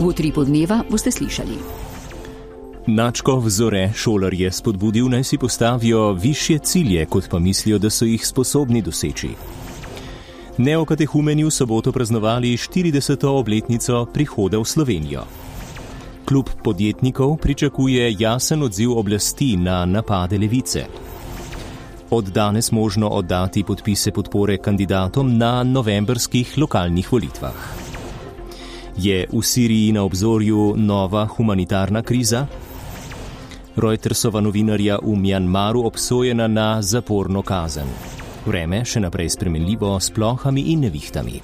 V Utripu dneva boste slišali. Načkov Zore šolarje spodbudil, naj si postavijo višje cilje, kot pa mislijo, da so jih sposobni doseči. Neokatehumeni v soboto praznovali 40. obletnico prihoda v Slovenijo. Klub podjetnikov pričakuje jasen odziv oblasti na napade levice. Od danes možno oddati podpise podpore kandidatom na novembrskih lokalnih volitvah. Je v Siriji na obzorju nova humanitarna kriza? Reutersova novinarja v Mjanmaru obsojena na zaporno kazen. Vreme še naprej spremenljivo s plohami in nevihtami.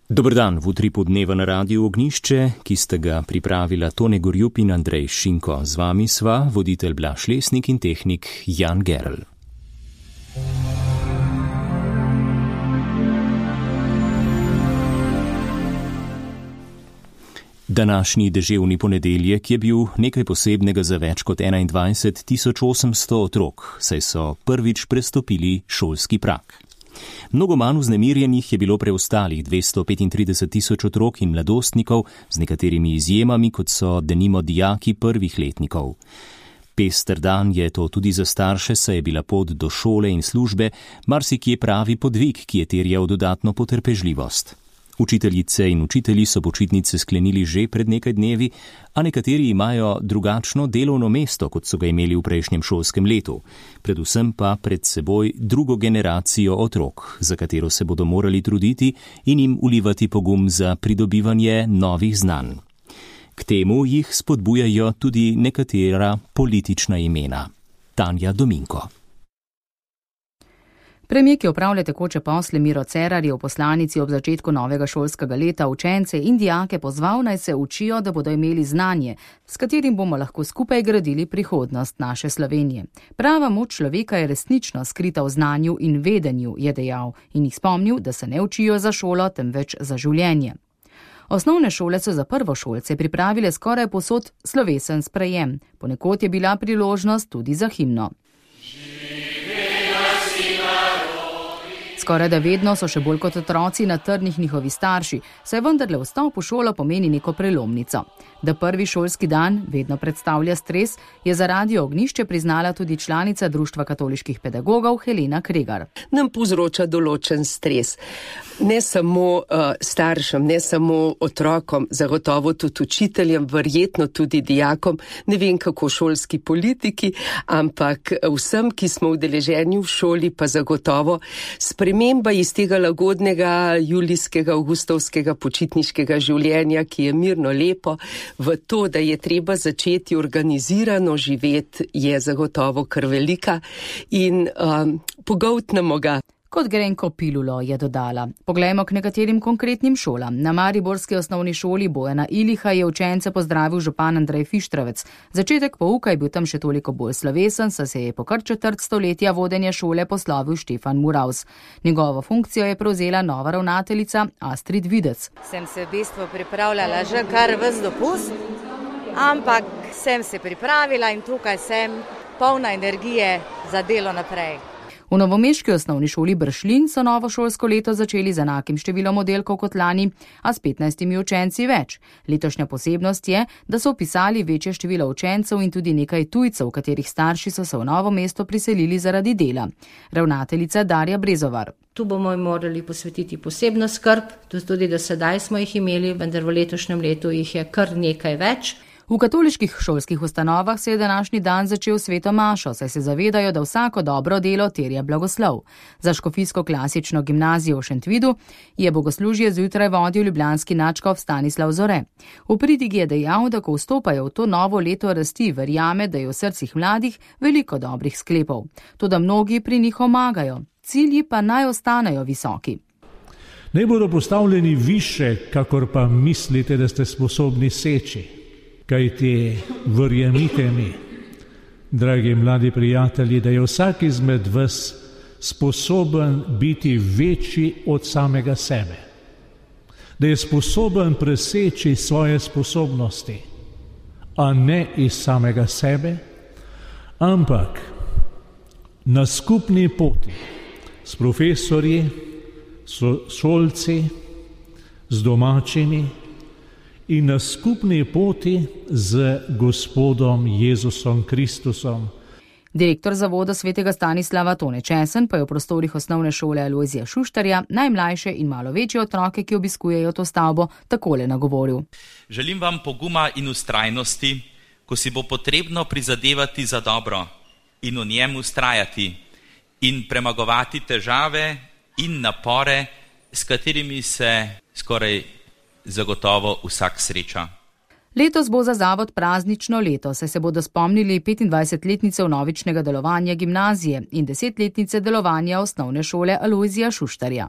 Dober dan, v Utripu dneva na Radiu Ognjišče, ki ste ga pripravila Tone Gorjup in Andrej Šinko. Z vami sva voditelj Blaž Lesnik in tehnik Jan Gerl. Današnji deževni ponedeljek je bil nekaj posebnega za več kot 21.800 otrok, saj so prvič prestopili šolski prag. Mnogo manj vznemirjenih je bilo preostalih 235.000 otrok in mladostnikov, z nekaterimi izjemami, kot so denimo dijaki prvih letnikov. Pester dan je to tudi za starše, saj je bila pot do šole in službe marsikje pravi podvig, ki je terjal dodatno potrpežljivost. Učiteljice in učitelji so počitnice sklenili že pred nekaj dnevi, a nekateri imajo drugačno delovno mesto, kot so ga imeli v prejšnjem šolskem letu. Predvsem pa pred seboj drugo generacijo otrok, za katero se bodo morali truditi in jim vlivati pogum za pridobivanje novih znanj. K temu jih spodbujajo tudi nekatera politična imena. Tanja Dominko. Premier, ki opravlja tekoče posle, Miro Cerar, je v poslanici ob začetku novega šolskega leta učence in dijake pozval, naj se učijo, da bodo imeli znanje, s katerim bomo lahko skupaj gradili prihodnost naše Slovenije. Prava moč človeka je resnično skrita v znanju in vedenju, je dejal in jih spomnil, da se ne učijo za šolo, temveč za življenje. Osnovne šole so za prvošolce pripravile skoraj povsod slovesen sprejem. Ponekod je bila priložnost tudi za himno. Skoraj da vedno so še bolj kot otroci na trnih njihovi starši, saj vendarle vstop v šolo pomeni neko prelomnico. Da prvi šolski dan vedno predstavlja stres, je za Radio Ognjišče priznala tudi članica Društva katoliških pedagogov Helena Kregar. Nam povzroča določen stres. Ne samo staršem, ne samo otrokom, zagotovo tudi učiteljem, verjetno tudi dijakom, ne vem kako šolski politiki, ampak vsem, ki smo udeleženi v šoli, pa zagotovo sprememba iz tega lagodnega julijskega, avgustovskega počitniškega življenja, ki je mirno lepo, v to, da je treba začeti organizirano živeti, je zagotovo kar velika in pogoltnemo ga. Kot grenko pilulo, je dodala. Poglejmo k nekaterim konkretnim šolam. Na mariborski osnovni šoli Bojana Iliha je učence pozdravil župan Andrej Fištravec. Začetek pouka je bil tam še toliko bolj slovesen, saj se je po kar četrt stoletja vodenja šole poslovil Štefan Muravs. Njegovo funkcijo je prevzela nova ravnateljica Astrid Videc. Sem se v bistvu pripravljala že kar ves dopust, ampak sem se pripravila in tukaj sem polna energije za delo naprej. V novomeški osnovni šoli Bršljin so novo šolsko leto začeli z enakim številom oddelkov kot lani, a s 15 učenci več. Letošnja posebnost je, da so vpisali večje število učencev in tudi nekaj tujcev, katerih starši so se v novo mesto priselili zaradi dela. Ravnateljica Darja Brezovar. Tu bomo morali posvetiti posebno skrb, tudi do sedaj smo jih imeli, vendar v letošnjem letu jih je kar nekaj več. V katoliških šolskih ustanovah se je današnji dan začel sveto mašo, saj se zavedajo, da vsako dobro delo terja blagoslov. Za škofijsko klasično gimnazijo v Šentvidu je bogoslužje zjutraj vodil ljubljanski nadškof Stanislav Zore. V pridigi je dejal, da ko vstopajo v to novo leto rasti, verjame, da je v srcih mladih veliko dobrih sklepov. Toda mnogi pri njih omagajo, cilji pa naj ostanejo visoki. Naj bodo postavljeni više, kakor pa mislite, da ste sposobni seči. Kajti verjemite mi, dragi mladi prijatelji, da je vsak izmed vas sposoben biti večji od samega sebe. Da je sposoben preseči svoje sposobnosti, a ne iz samega sebe, ampak na skupni poti s profesorji, šolci, z domačimi in na skupni poti z Gospodom Jezusom Kristusom. Direktor Zavoda svetega Stanislava Tone Česen pa je v prostorih osnovne šole Alojzija Šuštarja najmlajše in malo večje otroke, ki obiskujejo to stavbo, takole nagovoril. Želim vam poguma in ustrajnosti, ko si bo potrebno prizadevati za dobro in v njem ustrajati in premagovati težave in napore, s katerimi se skoraj zagotovo vsak sreča. Letos bo za zavod praznično leto, saj se bodo spomnili 25-letnice vnovičnega delovanja gimnazije in 10-letnice delovanja osnovne šole Alojzija Šuštarja.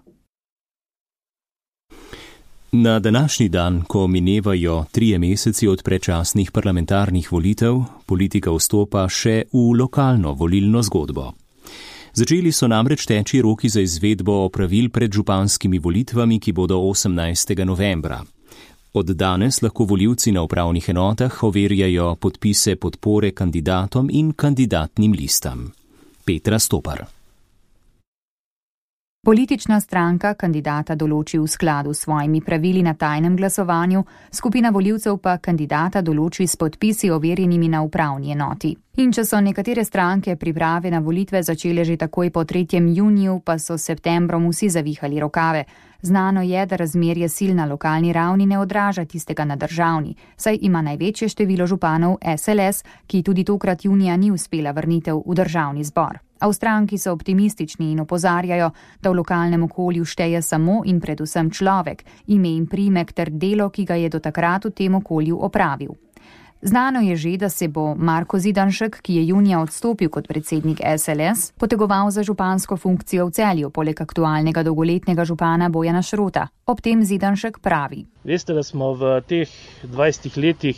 Na današnji dan, ko minevajo 3 meseci od predčasnih parlamentarnih volitev, politika vstopa še v lokalno volilno zgodbo. Začeli so namreč teči roki za izvedbo opravil pred županskimi volitvami, ki bodo 18. novembra. Od danes lahko volivci na upravnih enotah overjajo podpise podpore kandidatom in kandidatnim listam. Petra Stopar. Politična stranka kandidata določi v skladu s svojimi pravili na tajnem glasovanju, skupina volivcev pa kandidata določi s podpisi overjenimi na upravni enoti. In če so nekatere stranke priprave na volitve začele že takoj po 3. juniju, pa so s septembrom vsi zavihali rokave. Znano je, da razmerje sil na lokalni ravni ne odraža tistega na državni, saj ima največje število županov SLS, ki tudi tokrat junija ni uspela vrnitev v državni zbor. A v stranki so optimistični in opozarjajo, da v lokalnem okolju šteje samo in predvsem človek, ime in priimek ter delo, ki ga je do takrat v tem okolju opravil. Znano je že, da se bo Marko Zidanšek, ki je junija odstopil kot predsednik SLS, potegoval za župansko funkcijo v Celju, poleg aktualnega dolgoletnega župana Bojana Šrota. Ob tem Zidanšek pravi. Veste, da smo v teh 20 letih,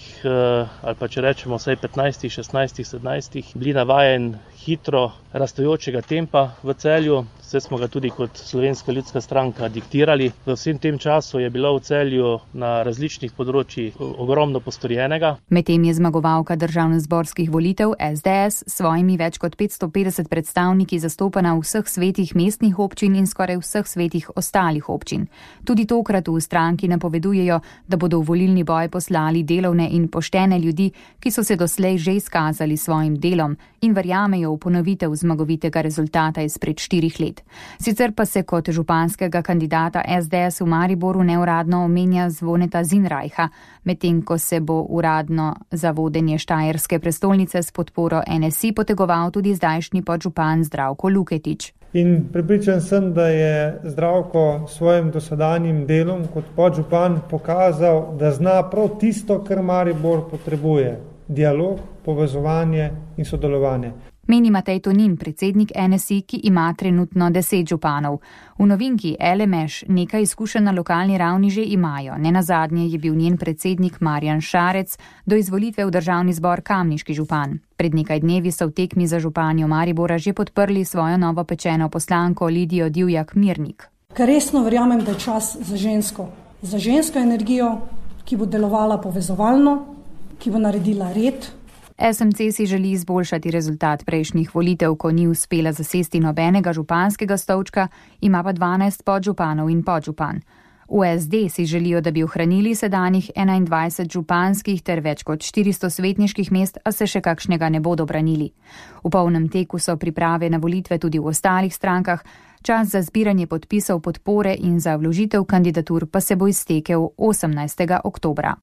ali pa če rečemo vsaj 15, 16, 17, bili navajen hitro rastojočega tempa v Celju. Vse smo ga tudi kot Slovenska ljudska stranka diktirali. V vsem tem času je bilo v Celju na različnih področjih ogromno postorjenega. Medtem je zmagovalka državnozborskih volitev SDS s svojimi več kot 550 predstavniki zastopana v vseh svetih mestnih občin in skoraj vseh svetih ostalih občin. Tudi tokrat v stranki napovedujejo, da bodo v volilni boj poslali delovne in poštene ljudi, ki so se doslej že izkazali svojim delom in verjamejo v ponovitev zmagovitega rezultata izpred 4 let. Sicer pa se kot županskega kandidata SDS v Mariboru neuradno omenja Zvoneta Zinrajha, medtem ko se bo uradno za vodenje štajerske prestolnice s podporo NSI potegoval tudi zdajšnji podžupan Zdravko Luketič. In prepričan sem, da je Zdravko svojim dosedanjim delom kot podžupan pokazal, da zna prav tisto, kar Maribor potrebuje. Dialog, povezovanje in sodelovanje. Meni Matej Tonin, predsednik NSI, ki ima trenutno 10 županov. V novinki LMŠ nekaj izkušenj na lokalni ravni že imajo. Nenazadnje je bil njen predsednik Marjan Šarec do izvolitve v državni zbor kamniški župan. Pred nekaj dnevi so v tekmi za županjo Maribora že podprli svojo novopečeno poslanko Lidijo Divjak Mirnik. Ker resno verjamem, da je čas za žensko energijo, ki bo delovala povezovalno, ki bo naredila red. SMC si želi izboljšati rezultat prejšnjih volitev, ko ni uspela zasesti nobenega županskega stolčka, ima pa 12 podžupanov in podžupan. V SD si želijo, da bi ohranili sedanjih 21 županskih ter več kot 400 svetniških mest, a se še kakšnega ne bodo branili. V polnem teku so priprave na volitve tudi v ostalih strankah, čas za zbiranje podpisov podpore in za vložitev kandidatur pa se bo iztekel 18. oktobra.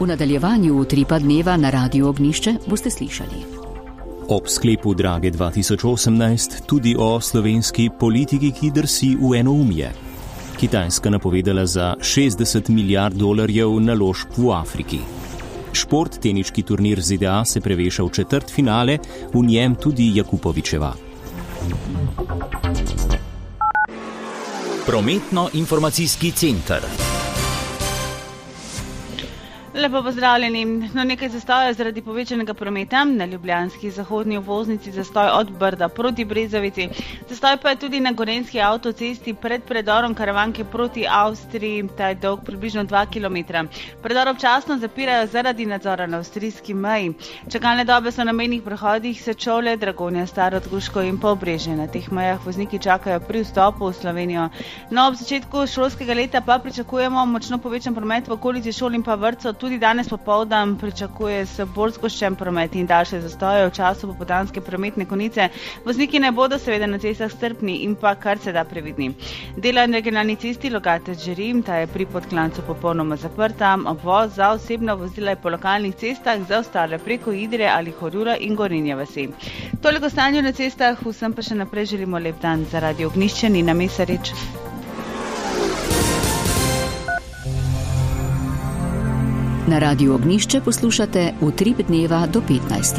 V nadaljevanju utripa dneva na Radiu Ognjišče boste slišali. Ob sklepu Drage 2018 tudi o slovenski politiki, ki drsi v enoumje. Kitajska napovedala za $60 milijard naložb v Afriki. Šport, teniški turnir ZDA se preveša v četrtfinale, v njem tudi Jakupovičeva. Prometno-informacijski center. Lepo pozdravljeni. Nekaj zastojev zaradi povečanega prometa na ljubljanski zahodni obvoznici, zastoj od Brda proti Brezovici. Zastoj pa je tudi na gorenjski avtocesti pred predorom Karavanke proti Avstriji, ta je dolg približno 2 km. Predor občasno zapirajo zaradi nadzora na avstrijski meji. Čakalne dobe so na mejnih prehodih Sečovlje, Dragonja, Starod-Gruško in Pobrežje. Na teh mejah vozniki čakajo pri vstopu v Slovenijo. No, ob začetku šolskega leta pa pričakujemo močno povečan promet v okolici šol in pa vrtcev. Tudi danes popoldan pričakuje se bolj zgoščen promet in daljše zastoje v času popoldanske prometne konice. Vozniki ne bodo seveda na cestah strpni in pa kar se da previdni. Dela na regionalni cesti Logatec-Žerim, ta je pri Podklancu popolnoma zaprta. Obvoz za osebna vozila je po lokalnih cestah, za ostale preko Idrije ali Horjula in Gorenje vasi. Toliko stanju na cestah, vsem pa še naprej želimo lep dan. Za Radio Ognjišče Nina Mesarič. Na Radiu Ognjišče poslušate Utrip dneva do 15.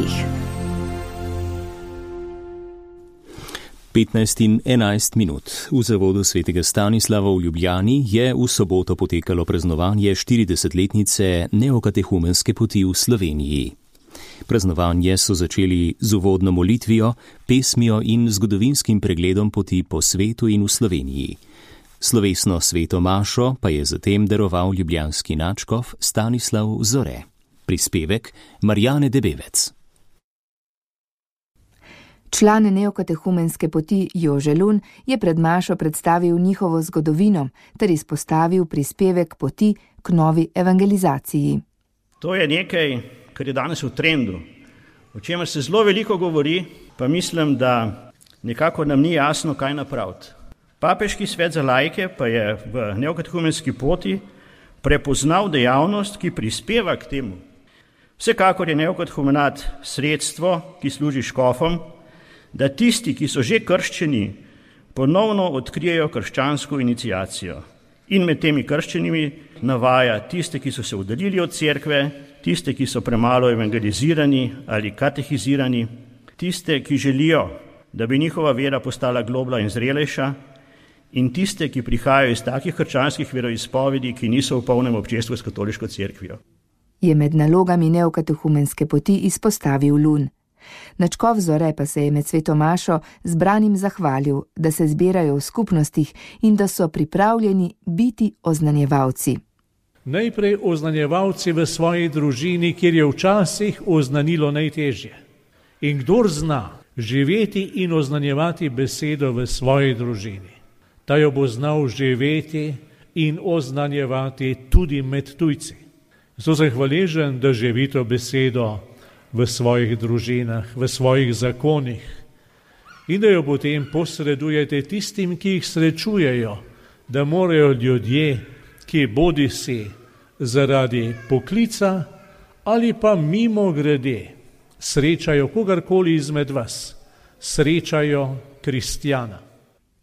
15:11. V zavodu svetega Stanislava v Ljubljani je v soboto potekalo praznovanje 40-letnice neokatehumenske poti v Sloveniji. Praznovanje so začeli z uvodno molitvijo, pesmijo in zgodovinskim pregledom poti po svetu in v Sloveniji. Slovesno sveto mašo pa je zatem daroval ljubljanski nadškof Stanislav Zore. Prispevek Marjane Debevec. Član neokatehumenske poti Jože Lun je pred mašo predstavil njihovo zgodovino ter izpostavil prispevek poti k novi evangelizaciji. To je nekaj, kar je danes v trendu, o čemer se zelo veliko govori, pa mislim, da nekako nam ni jasno, kaj napraviti. Papeški svet za laike pa je v neokatehumenski poti prepoznal dejavnost, ki prispeva k temu. Vsekakor je neokatehumenat sredstvo, ki služi škofom, da tisti, ki so že krščeni, ponovno odkrijejo krščansko iniciacijo. In med temi krščenimi navaja tiste, ki so se oddaljili od cerkve, tiste, ki so premalo evangelizirani ali katehizirani, tiste, ki želijo, da bi njihova vera postala globlja in zrelejša, in tiste, ki prihajajo iz takih krščanskih veroizpovedi, ki niso v polnem občestvu s katoliško cerkvijo. Je med nalogami neokatehumenske poti izpostavil Lun. Nadškof Zore pa se je med sveto mašo zbranim zahvalil, da se zbirajo v skupnostih in da so pripravljeni biti oznanjevalci. Najprej oznanjevalci v svoji družini, kjer je včasih oznanilo najtežje. In kdor zna živeti in oznanjevati besedo v svoji družini, ta jo bo znal živeti in oznanjevati tudi med tujci. Zato sem hvaležen, da živi to besedo v svojih družinah, v svojih zakonih in da jo potem posredujete tistim, ki jih srečujejo, da morajo ljudje, ki bodisi zaradi poklica ali pa mimo grede srečajo kogarkoli izmed vas, srečajo kristjana.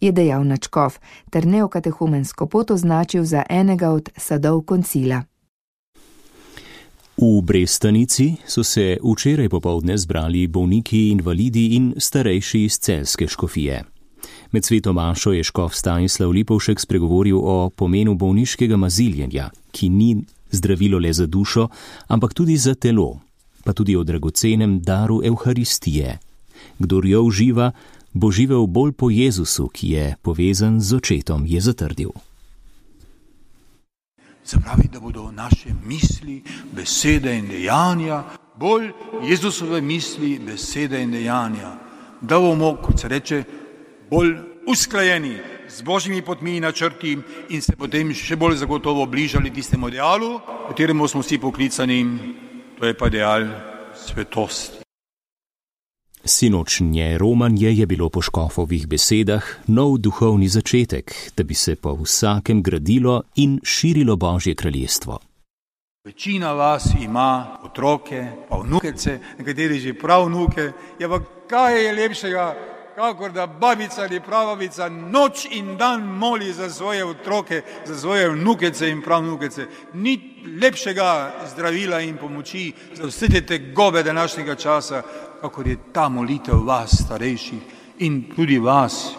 Je dejal nadškof ter neokatehumensko pot označil za enega od sadov koncila. V Brestanici so se včeraj popoldne zbrali bolniki, invalidi in starejši iz celjske škofije. Med sveto mašo je škof Stanislav Lipovšek spregovoril o pomenu bolniškega maziljenja, ki ni zdravilo le za dušo, ampak tudi za telo, pa tudi o dragocenem daru Evharistije. Kdor jo uživa, bo živel bolj po Jezusu, ki je povezan z očetom, je zatrdil. Zapravi, da bodo naše misli, besede in dejanja bolj Jezusove misli, besede in dejanja. Da bomo, kot se reče, bolj usklajeni z Božjimi potmi in načrti in se potem še bolj zagotovo bližali tistemu idealu, kateremu smo vsi poklicani, to je pa ideal svetosti. Sinočnje romanje je bilo po škofovih besedah nov duhovni začetek, da bi se po vsakem gradilo in širilo Božje kraljestvo. Večina vas ima otroke, pa vnukece, nekateri že prav vnuke, ja pa kaj je lepšega, kakor da babica ali prababica noč in dan moli za svoje otroke, za svoje vnukece in pravnukece. Ni lepšega zdravila in pomoči za vse te tegobe današnjega časa, kakor je ta molitev vas, starejših in tudi vas,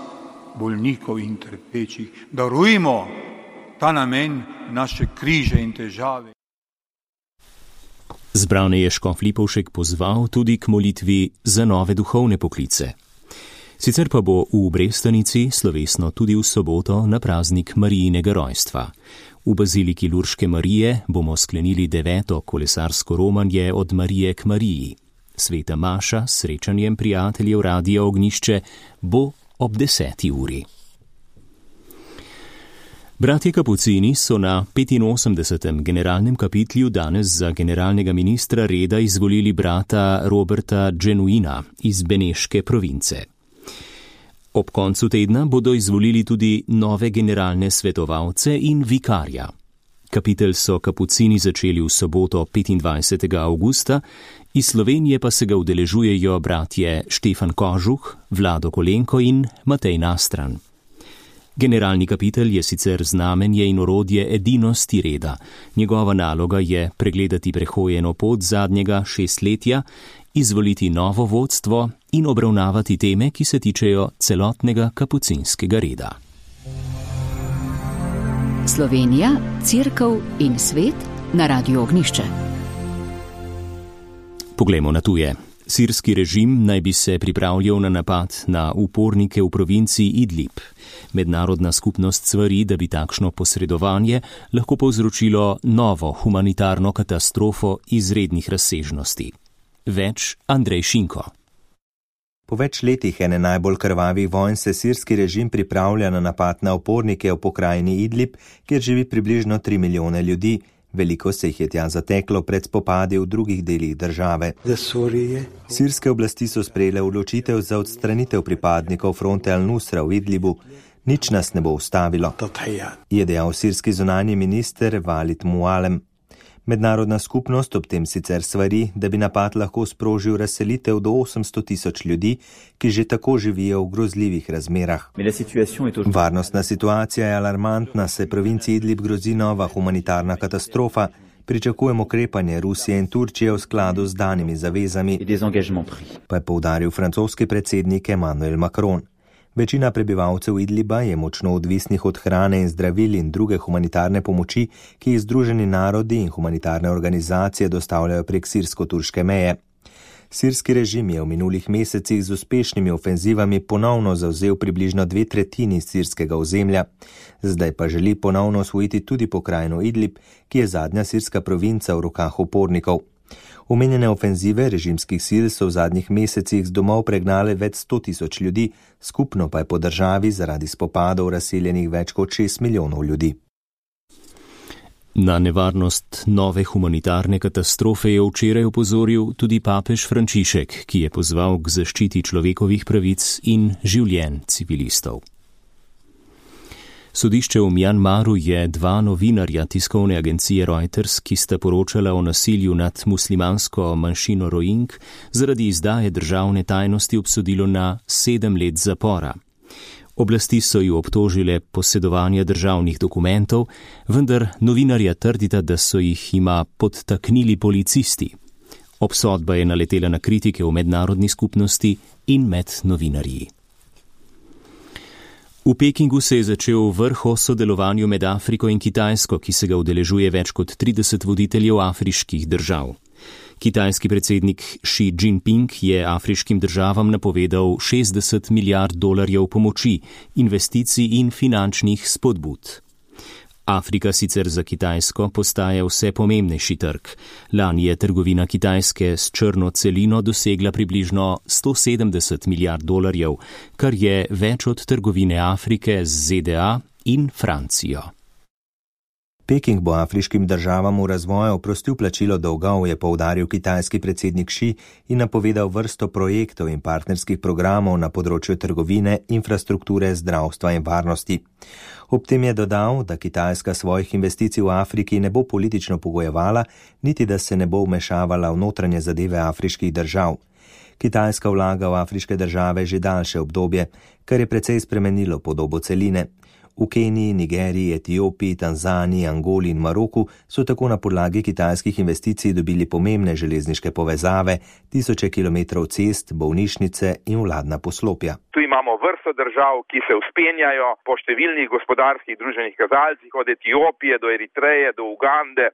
bolnikov in trpečih. Darujmo ta namen naše križe in težave. Zbrane je škof Lipovšek pozval tudi k molitvi za nove duhovne poklice. Sicer pa bo v Brestanici slovesno tudi v soboto na praznik Marijinega rojstva. V baziliki Lurške Marije bomo sklenili 9. kolesarsko romanje od Marije k Mariji. Sveta maša s srečanjem prijateljev Radia Ognjišče bo ob 10. uri. Bratje Kapucini so na 85. generalnem kapitlju danes za generalnega ministra reda izvolili brata Roberta Genuina iz Beneške province. Ob koncu tedna bodo izvolili tudi nove generalne svetovalce in vikarja. Kapitel so Kapucini začeli v soboto 25. avgusta, iz Slovenije pa se ga udeležujejo bratje Štefan Kožuh, Vlado Kolenko in Matej Nastran. Generalni kapitel je sicer znamenje in orodje edinosti reda. Njegova naloga je pregledati prehojeno pot zadnjega 6-letja, izvoliti novo vodstvo in obravnavati teme, ki se tičejo celotnega kapucinskega reda. Slovenija, Cerkev in svet na Radiu Ognjišče. Poglejmo na tuje. Sirski režim naj bi se pripravljal na napad na upornike v provinciji Idlib. Mednarodna skupnost svari, da bi takšno posredovanje lahko povzročilo novo humanitarno katastrofo izrednih razsežnosti. Več Andrej Šinko. Po več letih ene najbolj krvavih vojn se sirski režim pripravlja na napad na upornike v pokrajini Idlib, kjer živi približno 3 milijone ljudi. Veliko se jih je tja zateklo pred spopadi v drugih delih države. Sirske oblasti so sprejele odločitev za odstranitev pripadnikov fronte Al-Nusra v Idlibu. Nič nas ne bo ustavilo, je dejal sirski zunanji minister Walid Mualem. Mednarodna skupnost ob tem sicer svari, da bi napad lahko sprožil razselitev do 800.000 ljudi, ki že tako živijo v grozljivih razmerah. Varnostna situacija je alarmantna, saj provinciji Idlib grozi nova humanitarna katastrofa. Pričakujemo ukrepanje Rusije in Turčije v skladu z danimi zavezami, pa je poudaril francoski predsednik Emmanuel Macron. Večina prebivalcev Idliba je močno odvisnih od hrane in zdravil in druge humanitarne pomoči, ki jih Združeni narodi in humanitarne organizacije dostavljajo prek sirsko-turške meje. Sirski režim je v minulih mesecih z uspešnimi ofenzivami ponovno zavzel približno 2/3 sirskega ozemlja. Zdaj pa želi ponovno osvojiti tudi pokrajino Idlib, ki je zadnja sirska provinca v rokah upornikov. Omenjene ofenzive režimskih sil so v zadnjih mesecih z domov pregnale več 100.000 ljudi, skupno pa je po državi zaradi spopadov razseljenih več kot 6 milijonov ljudi. Na nevarnost nove humanitarne katastrofe je včeraj opozoril tudi papež Frančišek, ki je pozval k zaščiti človekovih pravic in življenj civilistov. Sodišče v Mjanmaru je 2 novinarja tiskovne agencije Reuters, ki sta poročala o nasilju nad muslimansko manjšino Rohing, zaradi izdaje državne tajnosti obsodilo na 7 let zapora. Oblasti so ju obtožile posedovanja državnih dokumentov, vendar novinarja trdita, da so jima podtaknili policisti. Obsodba je naletela na kritike v mednarodni skupnosti in med novinarji. V Pekingu se je začel vrh o sodelovanju med Afriko in Kitajsko, ki se ga udeležuje več kot 30 voditeljev afriških držav. Kitajski predsednik Xi Jinping je afriškim državam napovedal $60 milijard pomoči, investicij in finančnih spodbud. Afrika sicer za Kitajsko postaje vse pomembnejši trg. Lani je trgovina Kitajske s črno celino dosegla približno $170 milijard, kar je več od trgovine Afrike z ZDA in Francijo. Peking bo afriškim državam v razvoju oprostil plačilo dolgov, je poudaril kitajski predsednik Xi in napovedal vrsto projektov in partnerskih programov na področju trgovine, infrastrukture, zdravstva in varnosti. Ob tem je dodal, da Kitajska svojih investicij v Afriki ne bo politično pogojevala, niti da se ne bo vmešavala v notranje zadeve afriških držav. Kitajska vlaga v afriške države že daljše obdobje, kar je precej spremenilo podobo celine. V Keniji, Nigeriji, Etiopiji, Tanzaniji, Angoli in Maroku so tako na podlagi kitajskih investicij dobili pomembne železniške povezave, tisoče kilometrov cest, bolnišnice in vladna poslopja. Tu imamo vrsto držav, ki se vzpenjajo po številnih gospodarskih družbenih kazalcih, od Etiopije do Eritreje, do Ugande,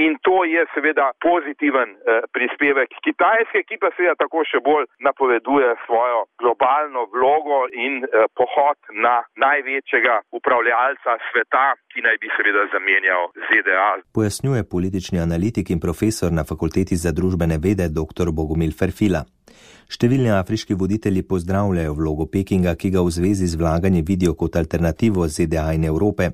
in to je seveda pozitiven prispevek Kitajske, ki pa seveda tako še bolj napoveduje svojo globalno vlogo in pohod na največjega upravljalca sveta, ki naj bi seveda zamenjal ZDA. Pojasnjuje politični analitik in profesor na Fakulteti za družbene vede dr. Bogomil Ferfila. Številni afriški voditelji pozdravljajo vlogo Pekinga, ki ga v zvezi z vlaganjem vidijo kot alternativo ZDA in Evrope.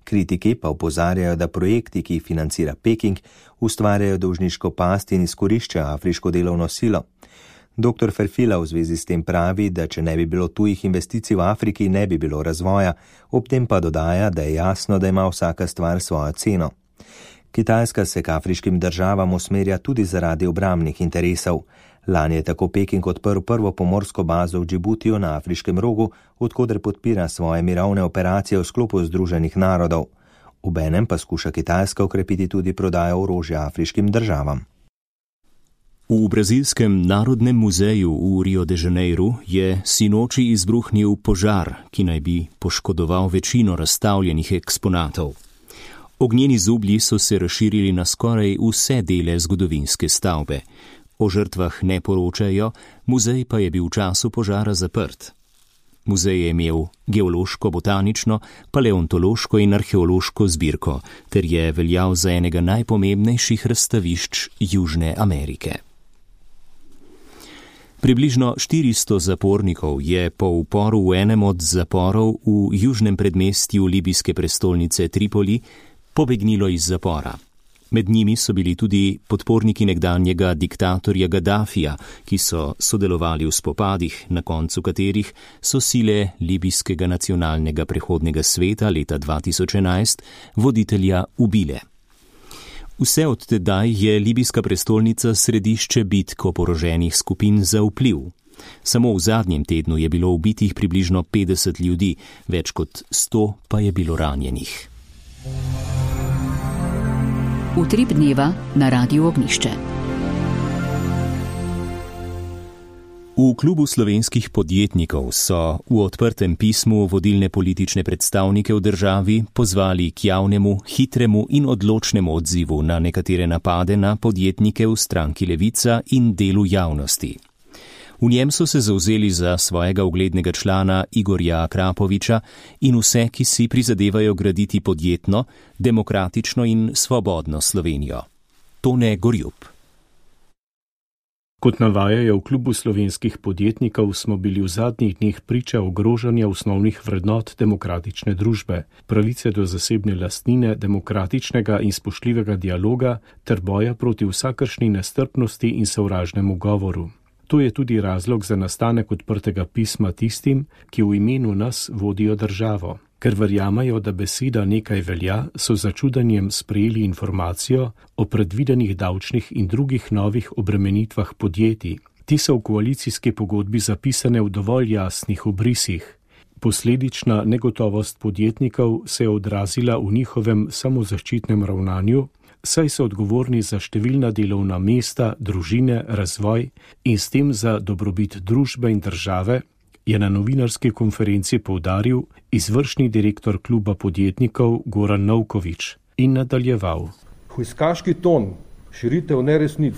Kritiki pa opozarjajo, da projekti, ki jih financira Peking, ustvarjajo dolžniško past in izkoriščajo afriško delovno silo. Dr. Ferfila v zvezi s tem pravi, da če ne bi bilo tujih investicij v Afriki, ne bi bilo razvoja, ob tem pa dodaja, da je jasno, da ima vsaka stvar svojo ceno. Kitajska se k afriškim državam usmerja tudi zaradi obrambnih interesov. Lani je tako Peking odprl prvo pomorsko bazo v Džibutiju na Afriškem rogu, odkoder podpira svoje mirovne operacije v sklopu Združenih narodov. Obenem pa skuša Kitajska okrepiti tudi prodajo orožja afriškim državam. V brazilskem narodnem muzeju v Rio de Janeiro je sinoči izbruhnil požar, ki naj bi poškodoval večino razstavljenih eksponatov. Ognjeni zublji so se razširili na skoraj vse dele zgodovinske stavbe. O žrtvah ne poročajo, muzej pa je bil v času požara zaprt. Muzej je imel geološko, botanično, paleontološko in arheološko zbirko, ter je veljal za enega najpomembnejših razstavišč Južne Amerike. Približno 400 zapornikov je po uporu v enem od zaporov v južnem predmestju libijske prestolnice Tripoli pobegnilo iz zapora. Med njimi so bili tudi podporniki nekdanjega diktatorja Gaddafija, ki so sodelovali v spopadih, na koncu katerih so sile libijskega nacionalnega prehodnega sveta leta 2011 voditelja ubile. Vse od tedaj je libijska prestolnica središče bitk oboroženih skupin za vpliv. Samo v zadnjem tednu je bilo ubitih približno 50 ljudi, več kot 100 pa je bilo ranjenih. Utrip dneva na Radiu Ognjišče. V klubu slovenskih podjetnikov so v odprtem pismu vodilne politične predstavnike v državi pozvali k javnemu, hitremu in odločnemu odzivu na nekatere napade na podjetnike v stranki Levica in delu javnosti. V njem so se zavzeli za svojega uglednega člana Igorja Akrapoviča in vse, ki si prizadevajo graditi podjetno, demokratično in svobodno Slovenijo. Tone Gorjup. Kot navajajo v klubu slovenskih podjetnikov, smo bili v zadnjih dneh priča ogrožanja osnovnih vrednot demokratične družbe, pravice do zasebne lastnine, demokratičnega in spoštljivega dialoga ter boja proti vsakršni nestrpnosti in sovražnemu govoru. To je tudi razlog za nastanek odprtega pisma tistim, ki v imenu nas vodijo državo. Ker verjamajo, da beseda nekaj velja, so z začudenjem sprejeli informacijo o predvidenih davčnih in drugih novih obremenitvah podjetij. Ti so v koalicijski pogodbi zapisane v dovolj jasnih obrisih. Posledična negotovost podjetnikov se je odrazila v njihovem samozaščitnem ravnanju, saj so odgovorni za številna delovna mesta, družine, razvoj in s tem za dobrobit družbe in države, je na novinarski konferenci poudaril izvršni direktor kluba podjetnikov Goran Novkovič in nadaljeval. Hujskaški ton, širitev neresnic,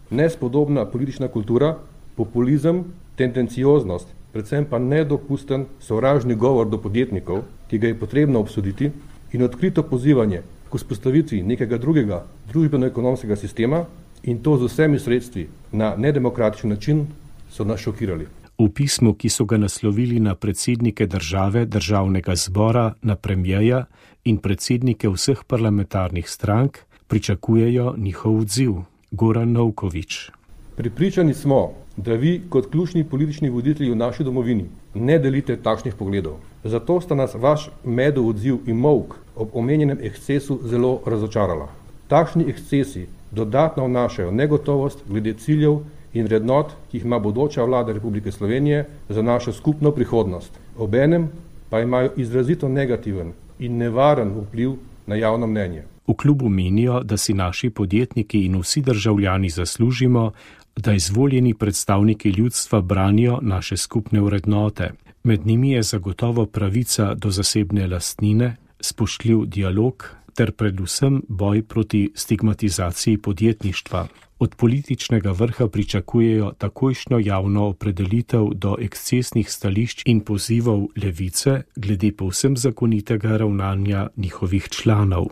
nespodobna politična kultura, populizem, tendencioznost, predvsem pa nedopusten sovražni govor do podjetnikov, ki ga je potrebno obsoditi, in odkrito pozivanje k vzpostavitvi nekega drugega družbeno-ekonomskega sistema in to z vsemi sredstvi na nedemokratičen način so nas šokirali. V pismu, ki so ga naslovili na predsednike države, državnega zbora, na premijeja in predsednike vseh parlamentarnih strank, pričakujejo njihov odziv. Goran Novkovič. Prepričani smo, da vi kot ključni politični voditelji v naši domovini ne delite takšnih pogledov. Zato sta nas vaš medov odziv in molk ob omenjenem ekscesu zelo razočarala. Takšni ekscesi dodatno vnašajo negotovost glede ciljev in vrednot, ki jih ima bodoča vlada Republike Slovenije za našo skupno prihodnost. Obenem pa imajo izrazito negativen in nevaren vpliv na javno mnenje. V klubu menijo, da si naši podjetniki in vsi državljani zaslužimo, da izvoljeni predstavniki ljudstva branijo naše skupne vrednote. Med njimi je zagotovo pravica do zasebne lastnine, spoštljiv dialog ter predvsem boj proti stigmatizaciji podjetništva. Od političnega vrha pričakujejo takojšnjo javno opredelitev do ekscesnih stališč in pozivov levice glede povsem zakonitega ravnanja njihovih članov.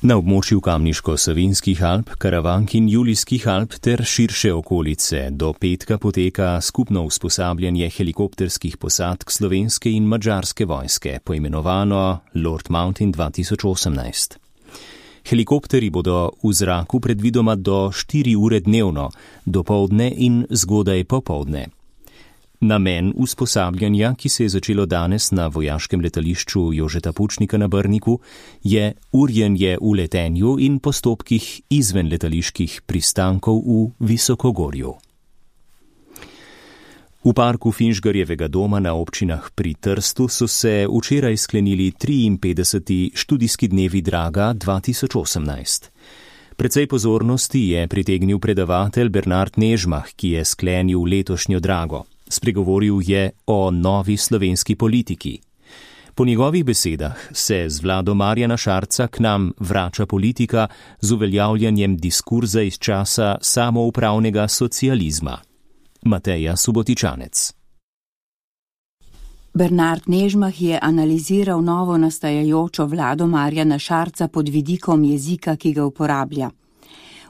Na območju Kamniško-Savinjskih Alp, Karavank in Julijskih Alp ter širše okolice do petka poteka skupno usposabljanje helikopterskih posadk slovenske in madžarske vojske, poimenovano Lord Mountain 2018. Helikopteri bodo v zraku predvidoma do 4 ure dnevno, dopoldne in zgodaj popoldne. Namen usposabljanja, ki se je začelo danes na vojaškem letališču Jožeta Pučnika na Brniku, je urjenje v letenju in postopkih izven letaliških pristankov v Visokogorju. V parku Finžgarjevega doma na občinah pri Trstu so se včeraj sklenili 53. študijski dnevi Draga 2018. Precej pozornosti je pritegnil predavatelj Bernard Nežmah, ki je sklenil letošnjo Drago. Spregovoril je o novi slovenski politiki. Po njegovih besedah se z vlado Marjana Šarca k nam vrača politika z uveljavljanjem diskurza iz časa samoupravnega socializma. Mateja Subotičanec. Bernard Nežmah je analiziral novo nastajajočo vlado Marjana Šarca pod vidikom jezika, ki ga uporablja.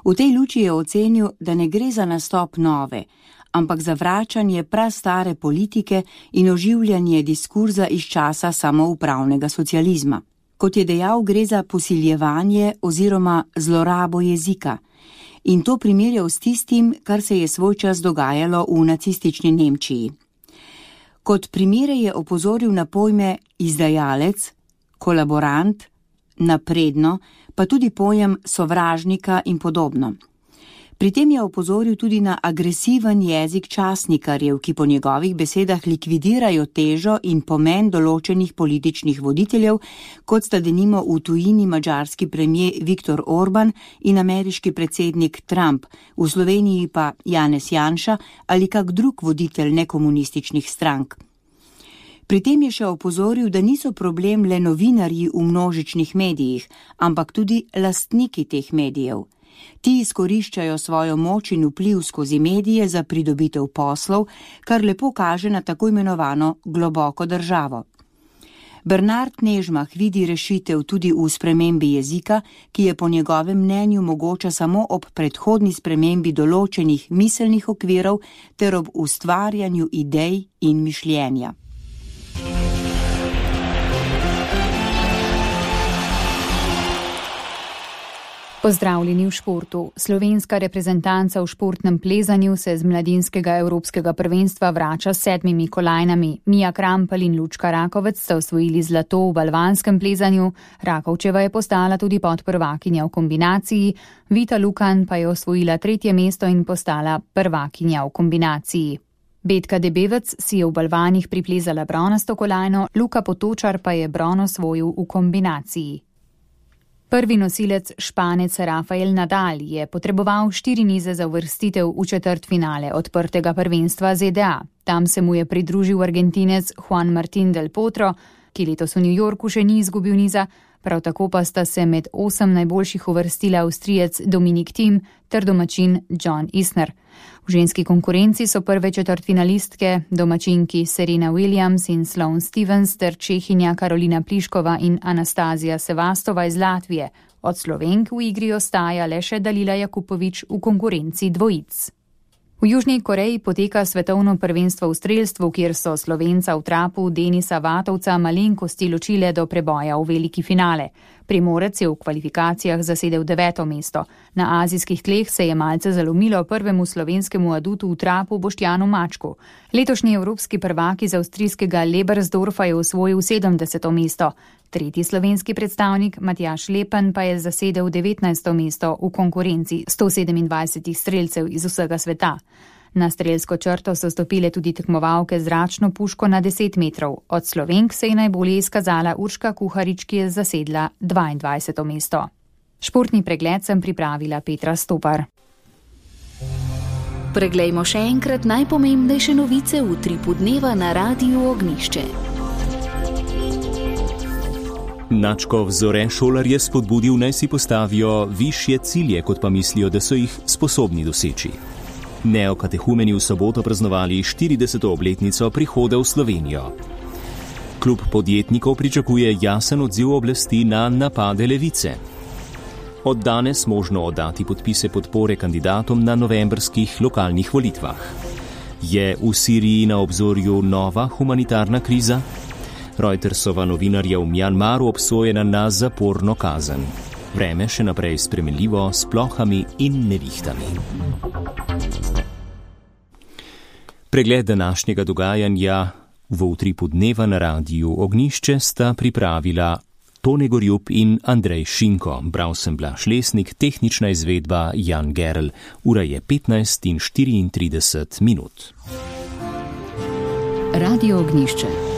V tej luči je ocenil, da ne gre za nastop nove, ampak za vračanje prastare politike in oživljanje diskurza iz časa samoupravnega socializma. Kot je dejal, gre za posiljevanje oziroma zlorabo jezika. In to primerjal s tistim, kar se je svoj čas dogajalo v nacistični Nemčiji. Kot primere je opozoril na pojme izdajalec, kolaborant, napredno, pa tudi pojem sovražnika in podobno. Pri tem je opozoril tudi na agresiven jezik časnikarjev, ki po njegovih besedah likvidirajo težo in pomen določenih političnih voditeljev, kot sta denimo v tujini madžarski premier Viktor Orban in ameriški predsednik Trump, v Sloveniji pa Janez Janša ali kak drug voditelj nekomunističnih strank. Pri tem je še opozoril, da niso problem le novinarji v množičnih medijih, ampak tudi lastniki teh medijev. Ti izkoriščajo svojo moč in vpliv skozi medije za pridobitev poslov, kar lepo kaže na tako imenovano globoko državo. Bernard Nežmah vidi rešitev tudi v spremembi jezika, ki je po njegovem mnenju mogoča samo ob predhodni spremembi določenih miselnih okvirov ter ob ustvarjanju idej in mišljenja. Pozdravljeni v športu. Slovenska reprezentanca v športnem plezanju se z mladinskega evropskega prvenstva vrača s 7 kolajnami. Mija Krampelj in Lučka Rakovec sta osvojili zlato v balvanskem plezanju, Rakovčeva je postala tudi podprvakinja v kombinaciji, Vita Lukan pa je osvojila 3. mesto in postala prvakinja v kombinaciji. Betka Debevec si je v balvanih priplezala bronasto kolajno, Luka Potočar pa je bron osvojil v kombinaciji. Prvi nosilec Španec Rafael Nadal je potreboval 4 nize za uvrstitev v četrtfinale odprtega prvenstva ZDA. Tam se mu je pridružil Argentinec Juan Martín del Potro, ki letos v New Yorku še ni izgubil niza, prav tako pa sta se med 8 najboljših uvrstila Avstrijec Dominik Thiem ter domačin John Isner. V ženski konkurenci so prve četrtfinalistke domačinki Serena Williams in Sloane Stevens ter Čehinja Karolina Pliškova in Anastazija Sevastova iz Latvije. Od Slovenk v igri ostaja le še Dalila Jakupovič v konkurenci dvojic. V Južni Koreji poteka svetovno prvenstvo v strelstvu, kjer so Slovenca v trapu Denisa Vatovca malenkosti ločile do preboja v veliki finale. Primorec je v kvalifikacijah zasedel 9. mesto. Na azijskih tleh se je malce zalomilo prvemu slovenskemu adutu v trapu Boštjanu Mačku. Letošnji evropski prvak iz avstrijskega Lebersdorfa je osvojil 70. mesto. 3. slovenski predstavnik Matjaž Lepen pa je zasedel 19. mesto v konkurenci 127 strelcev iz vsega sveta. Na strelsko črto so stopile tudi tekmovalke z zračno puško na 10 metrov. Od Slovenk se je najbolje izkazala Urška Kuharič, ki je zasedla 22. mesto. Športni pregled sem pripravila Petra Stopar. Preglejmo še enkrat najpomembnejše novice v utripu dneva na Radiu Ognjišče. Načkov Zore šolarje spodbudil, naj si postavijo višje cilje, kot pa mislijo, da so jih sposobni doseči. Neokatehumeni v soboto praznovali 40. obletnico prihoda v Slovenijo. Klub podjetnikov pričakuje jasen odziv oblasti na napade levice. Od danes možno oddati podpise podpore kandidatom na novembrskih lokalnih volitvah. Je v Siriji na obzorju nova humanitarna kriza? Reutersova novinarja v Mjanmaru obsojena na zaporno kazen. Vreme še naprej spremenljivo s plohami in nevihtami. Pregled današnjega dogajanja v utripu dneva na Radiu Ognjišče sta pripravila Tone Gorjup in Andrej Šinko. Bral sem Blaž Lesnik, tehnična izvedba Jan Gerl. Ura je 15:34. Radio Ognjišče.